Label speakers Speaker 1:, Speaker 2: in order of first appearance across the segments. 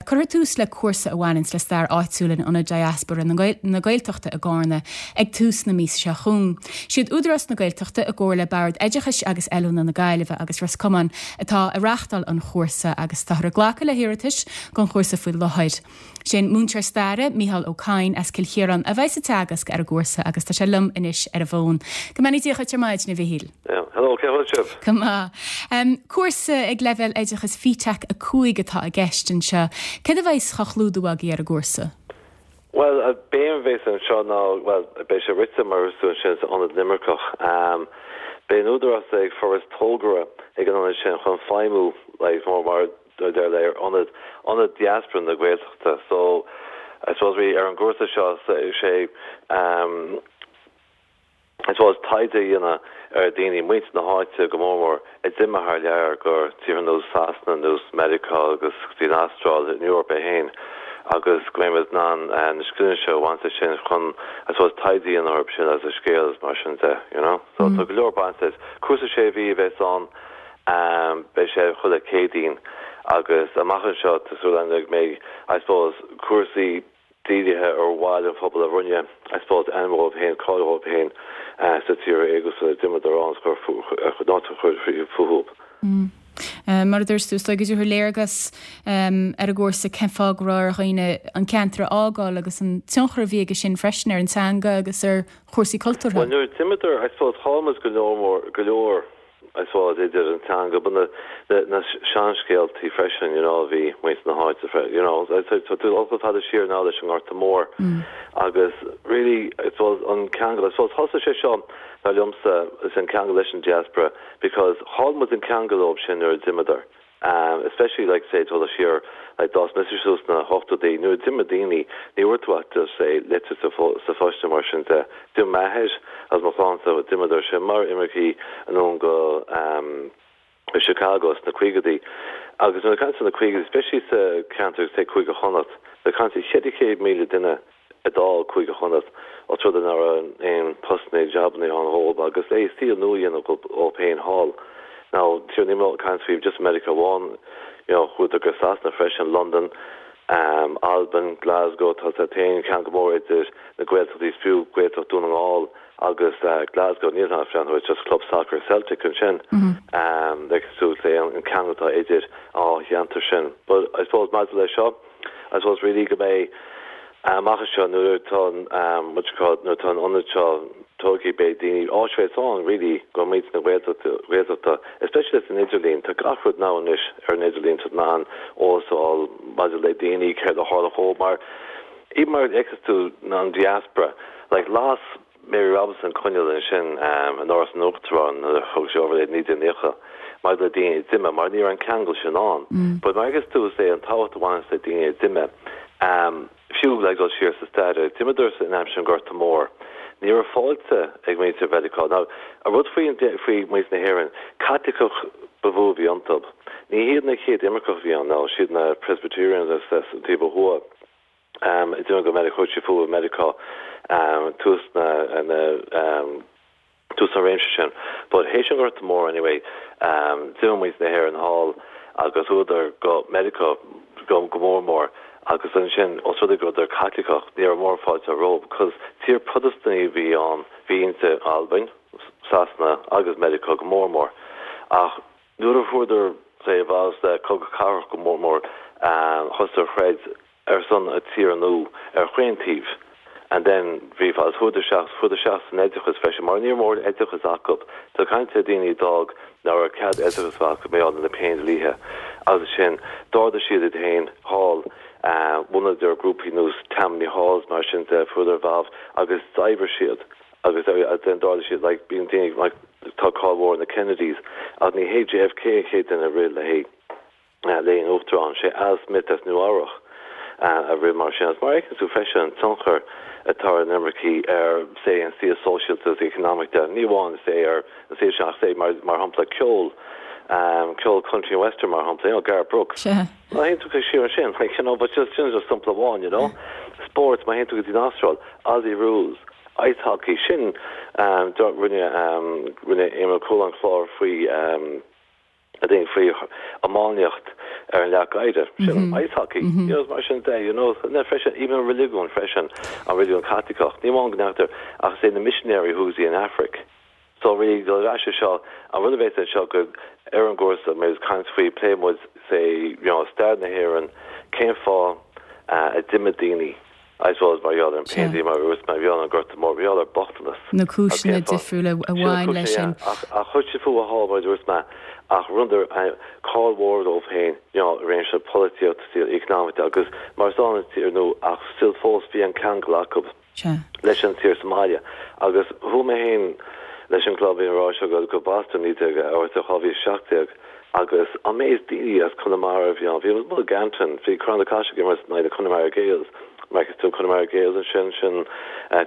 Speaker 1: Cuirfear tús le cúrsa a bhaineanns le stair áitiúil in Ionad Diaspora na Gaeltachta i gCárna ag tús na míosa seo chugainn. Siad Údarás na Gaeltachta i gcomhar le Bord Oideachais agus Oiliúna na Gaillimhe agus Ros Comáin atá ag reáchtáil an chúrsa agus táthar ag glacadh le hiarratais don chúrsa faoi láthair. Sé an múinteoir staire, Mícheál Ó Cadhain as Cill Chiaráin a bheidhs ag teagasc ar an gcúrsa agus tá sé liom anois ar an bhfón. Go mbeannaí Dia dhuit ar maidin, a Mhichíl.
Speaker 2: Hello, cén chaoi a bhfuil sibh?
Speaker 1: Go maith. Cúrsa ag leibhéal oideachais FETAC 5 atá i gceist anseo. Céard a bheidhs á chlúdú agaibh ar an gcúrsa?
Speaker 2: Bhuel, an béim a bhéas anseo ná, bhuel, beidh sé rite mar is tú ansin san ionad Luimneach. Beidh an Údarás ag forbairt togra ag an ionad sin chun feidhmiú like more mar deir le ar ionad, ionad diaspora na Gaeltachta. So, I suppose really ar an gcúrsa seo sé I suppose taighde a dhéanamh ar daoine, muintir na háite go mór mór, a d'imigh thar lear go tíortha nós Sasana, nós Meiriceá agus go dtí an Astráil, an Eoraip é féin agus go mbeidh muid in ann na scileanna seo a bhaint as sin chun I suppose taighde a dhéanamh orthu sin agus a scéal agus mar sin de, you know. So tá go leor baint leis. Cúrsa sé mhí a bheas ann, beidh sé chuile Céadaoin agus amach anseo tá súil againn go mbeidh I suppose cúrsaí dírithe ar bhaill an phobail a rinne, I suppose, ainm dhóibh féin, cáil dhóibh féin sna tíortha éagsúla a d'imíodar ann is chur áit a chur fúthu.
Speaker 1: Mar a dúirt tú, is dóigh go dtabharfar léargas ar an gcúrsa cén fáth go raibh ar dhaoine an ceantar a fhágáil agus an tionchar a bhí aige sin freisin ar an teanga agus ar chúrsaí cultúrtha.
Speaker 2: Bhuel, nuair a d'imíodar, I suppose, chaill muid go leor mór, go leor. I suppose, idir an teanga, but na, na, na seanscéaltaí freisin, you know, a bhí muintir na háite, you know, tá tú ag dul chomh fada siar now leis an nGorta Mór agus really, I suppose, an ceangal, I suppose, thosaigh sé seo, dar liomsa, is an ceangal leis an diaspora because chaill muid an ceangal leo sin nuair a d'imíodar. Especially like say dul siar like d'fhás mise suas sna hochtóidí nuair a d'imigh daoine ní bhfuair tú ach just say litir sa sa phost nó mar sin de. D'imigh m'athair agus mo chlannsa d'imíodar sin mar imircigh anonn go um go Chicago sna caogaidí agus nuair a caint sna caogaidí especially sa ceantar say Cúige Chonnacht ag caint 400,000 duine a d'fhág Cúige Chonnacht os rud é nach raibh aon postanna jabanna ann dhóibh agus le saol nua a dhéanamh dhóibh féin thall. Now sure níl mé ag caint faoi just Meiriceá amháin, you know chuadar go Sasana freisin, Londain, Albain, Glasgow, tá tá aon cheangal mór idir na Gaeltachtaí is fiú Gaeltacht Dún na nGall agus Glasgow, níl ach breathnú just club soccer Celtic ansin, like so an ceangal atá idir an dhá cheantar sin. But I suppose maidir le seo, I suppose really go mbeidh amach anseo nuair atá an what you call it nuair atá an ionad seo tógtha beidh daoine áit bheidh ann really go muintir na Gaeltachta Gaeltachta especially leis an idirlíon tá gach rud now anois ar an idirlíon tá tú in ann eolas a fháil maidir le daoine céard a tharla dhóibh mar even mar a fheiceas tú an diaspora like las Mary Robinson coinneal ansin in Áras an Uachtaráin nuair a thug sí over i 1990 maidir le daoine a d'imigh mar ní raibh an ceangal sin ann. But mar a fheiceas tú is é an tábhacht a bhaineanns le daoine a d'imigh fiú le dul siar sa stair d'imíodar in aimsir an Ghorta Mhóir ní raibh fáilte ag muintir Mheiriceá. Now an rud faoi faoi muintir na hÉireann Caitliceach ba mhó a bhí iontu. Ní hiad na chéad imirceach a bhí ann now siad na Presbyterians as an taobh ó thuaidh. a d'imigh go Meiriceá, chuaigh siad fúthu i Meiriceá tús na tús an réimse sin. But théis an Ghorta Mhóir anyway, d'imigh muintir na hÉireann thall agus chuadar go Meiriceá go go mór mór agus ansin os rud é go rabhadar Caitliceach ní raibh mórán fáilte rompu because tír Protastúnaí a bhí ann, bhí inti Albain, Sasana agus Meiriceá go mór mór ach Nuair a fuaireadar say bhás le cogadh cathartha go mór mór thosaigh a throid ar son a tír nua ar chaon taobh and then bhí agus chuadar isteach chuadar isteach san oideachas freisin mar ní raibh mórán oideachas acu tá caint ar daoine a d'fhág nach raibh cead oideachas a bheith acu mar gheall ar na Péindlíthe agus sin d'ardaigh siad iad féin thall bhunaíodar grúpaí nós Tammany Halls mar sin de fuaireadar involved agus d'oibrigh siad agus then d'ardaigh siad like bíonn daoine like tá cáil mhór ar na Kennedys ach ní hé JFK an chéad duine a rith le haghaidh le haghaidh an uachtarán sé Al Smith as Nua Eabhrach a rith mar sin agus mar a fheiceann tú freisin an tionchar atá ar an imircí ar say an saol sóisialta agus economic de ní amháin say ar an saol sin ach say mar mar shampla ceol ceol country and western mar shampla you know Garth Brooks Má théann tú siar ansin like you know but just sin just sampla amháin you know spórt má théann tú go dtí an Astráil Aussie rules Ice hockey, sin rinne rinne Éamon Ó Cualáin clár faoi I think faoi iománaíocht. ar an leac oighir, sin ice hockey, you know, mar sin de, you know, na freisin, even an religiún freisin, an religiún Caitliceach, ní amháin go ndearctar, ach is é na misinéirí who's in Afric. So really, dul ar ais ar seo, an rud a bheas anseo go, ar an gcúrsa, mé ag caint faoi, pléifidh muid, say, you know, stair na hÉireann, cén fáth a d'imigh daoine, I suppose, mar gheall ar an bpéindlí, mar a dúirt mé, mar gheall ar an Gorta Mór, mar gheall ar bochtanas.
Speaker 1: Na cúiseanna difriúla a bhain leis sin.
Speaker 2: Ach, ach chuir siad fúthu thall, mar a dúirt mé, ach rinneadar cáil mhór dóibh féin, you know, i réimse polaitíocht, saol economic agus mar is ann an tír nua, ach still fós bhí an ceangal acu. leis an tír sa mbaile. Agus chuaigh mé féin leis an gclub, bhí an rá seo go, go Boston 2017 agus an méid daoine as Conamara a bhí ann, bhí muid ag Anton, bhí Corrán na Caiseal ag imirt in aghaidh na Connemara Gaels, mar is tú Connemara Gaels ansin, sin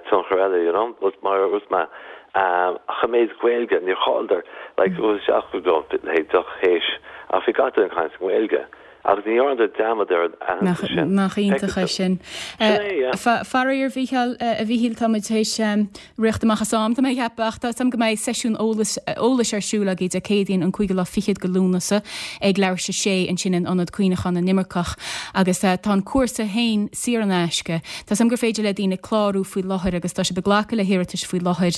Speaker 2: tionchar eile, you know, but mar a dúirt mé, ach an méid Gaeilge, níor chailleadar, like, isteach go, le deoch théis, ach bhí gach duine ag caint i nGaeilge. Agus ní dhearnadar dearmad ar an aitheantas
Speaker 1: sin. Nach iontach é sin. Sin é, yeah. Faraor, Mhícheál, a Mhíchíl, tá muid théis rith amach as am, tá mé ag ceapadh, ach tá 'fhios a'm go mbeidh seisiún eolais, eolais ar siúl agaibh Dé Céadaoin an cúigiú lá fichead de Lúnasa ag leathuair théis a sé ansin in Ionad Cuimhneacháin na nImirceach agus tá an cúrsa féin saor in aisce. Tá 'fhios a'm gur féidir le daoine clárú faoi láthair agus tá sibh ag glacadh le hiarratais faoi láthair.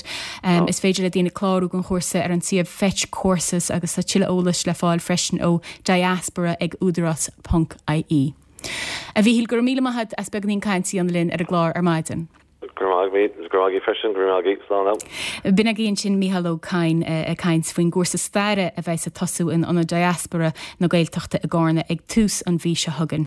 Speaker 1: Is féidir le daoine clárú don chúrsa ar an suíomh Fetch Courses agus tá tuilleadh eolais le fáil freisin ó diaspora ag údarás ponc ie. A Mhíchíl, go raibh míle maith agat as beagáinín cainte a dhéanamh linn ar an gclár ar maidin.
Speaker 2: Go raibh maith agat, go raibh maith agat freisin, go raibh maith agat, slán
Speaker 1: now. B'in agaibh ansin Mícheál Ó Cadhain ag caint faoin gcúrsa staire a bheas ag tosú in Ionad Diaspora na Gaeltachta i gCarna ag tús an mhí seo chugainn.